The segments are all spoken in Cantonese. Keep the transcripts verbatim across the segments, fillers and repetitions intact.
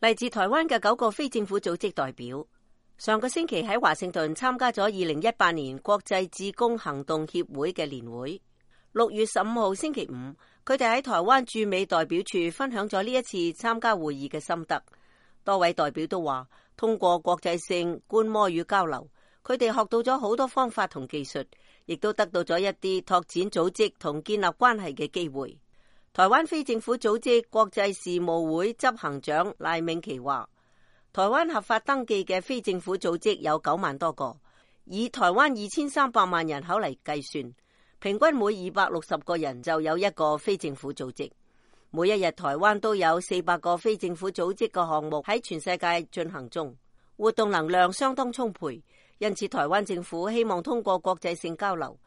嚟自台灣嘅九個非政府組織代表，上個星期喺華盛頓參加咗二零一八年國際志工行動協會嘅年會。六月十五號星期五，佢哋喺台灣駐美代表處分享咗呢一次參加會議嘅心得。多位代表都話，通過國際性觀摩與交流，佢哋學到咗好多方法同技術，亦都得到咗一啲拓展組織同建立關係嘅機會。台灣非政府組織國際事務會執行長賴銘琪話，台灣合法登記嘅非政府組織有九萬多個，以台灣二千三百萬人口嚟計算，平均每二百六十個人就有一個非政府組織。每一日台灣都有四百個非政府組織嘅項目喺全世界進行中，活動能量相當充沛。因此台灣政府希望通過國際性交流，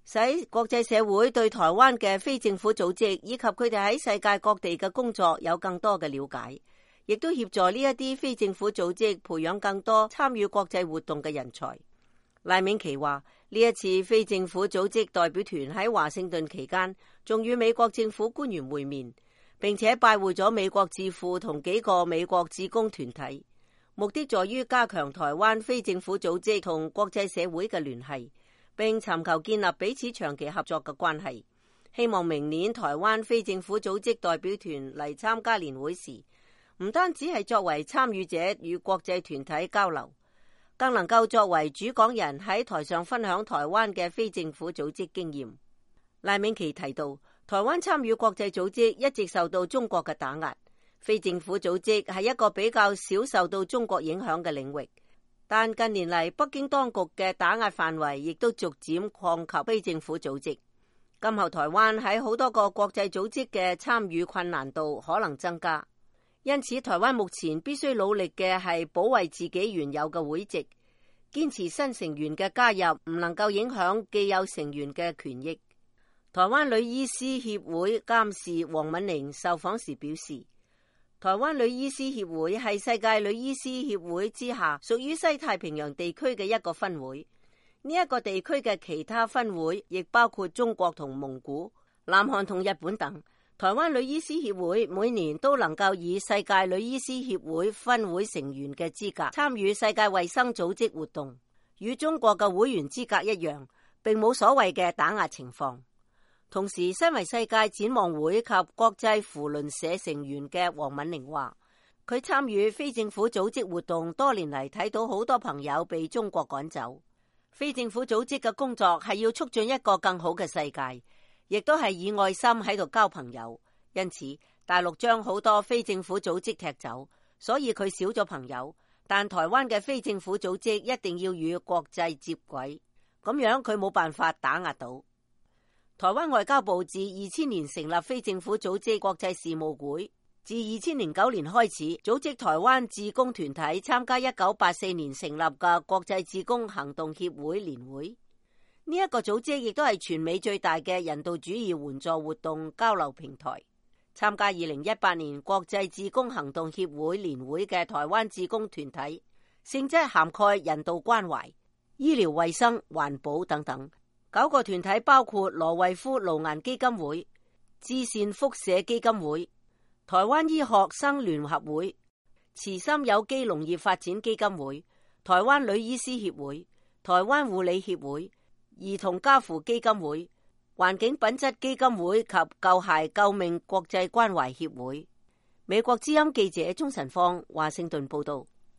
使國際社會對台灣嘅非政府組織以及佢哋喺世界各地嘅工作有更多嘅了解，亦都協助呢一啲非政府組織培養更多參與國際活動嘅人才。賴銘琪話，呢一次非政府組織代表團喺華盛頓期間，仲與美國政府官員會面，並且拜會咗美國智庫同幾個美國志工團體，目的在於加強台灣非政府組織同國際社會嘅聯繫，並尋求建立彼此長期合作嘅關係。希望明年台灣非政府組織代表團嚟參加年會時，唔單止係作為參與者與國際團體交流，更能夠作為主講人喺台上分享台灣嘅非政府組織經驗。賴銘琪提到，台灣參與國際組織一直受到中國嘅打壓，非政府組織係一個比較少受到中國影響嘅領域，但近年嚟北京當局嘅打壓範圍亦都逐漸擴及非政府組織。今後台灣喺好多個國際組織嘅參與困難度可能增加，因此台灣目前必須努力嘅係保衛自己原有嘅會籍，堅持新成員嘅加入唔能夠影響既有成員嘅權益。台灣女醫師協會監事黃敏玲受訪時表示，台灣女醫師協會係世界女醫師協會之下屬於西太平洋地區嘅一個分會。呢一個地區嘅其他分會亦包括中國同蒙古、南韓同日本等。台灣女醫師協會每年都能夠以世界女醫師協會分會成員嘅資格參與世界衛生組織活動，與中國嘅會員資格一樣，並冇所謂嘅打壓情況。同時，身為世界展望會及國際扶輪社成員嘅黃敏玲話，佢參與非政府組織活動多年嚟，睇到好多朋友被中國趕走。非政府組織嘅工作係要促進一個更好嘅世界，亦都係以愛心喺度交朋友。因此，大陸將好多非政府組織踢走，所以佢少咗朋友。但台灣嘅非政府組織一定要與國際接軌，咁樣佢冇辦法打壓到。台灣外交部自二千年成立非政府組織國際事務會，自二千零九年開始組織台灣志工團體參加一九八四年成立嘅國際志工行動協會年會。呢、這、一個組織亦都係全美最大嘅人道主義援助活動交流平台。參加二零一八年國際志工行動協會年會嘅台灣志工團體，性質涵蓋人道關懷、醫療衛生、環保等等。九個團體包括羅惠夫顱顏基金會、至善輻射基金會、台灣醫學生聯合會、慈心有機農業發展基金會、台灣女醫師協會、台灣護理協會、兒童家扶基金會、環境品質基金會及救孩救命國際關懷協會。美國之音記者鍾晨芳華盛頓報道。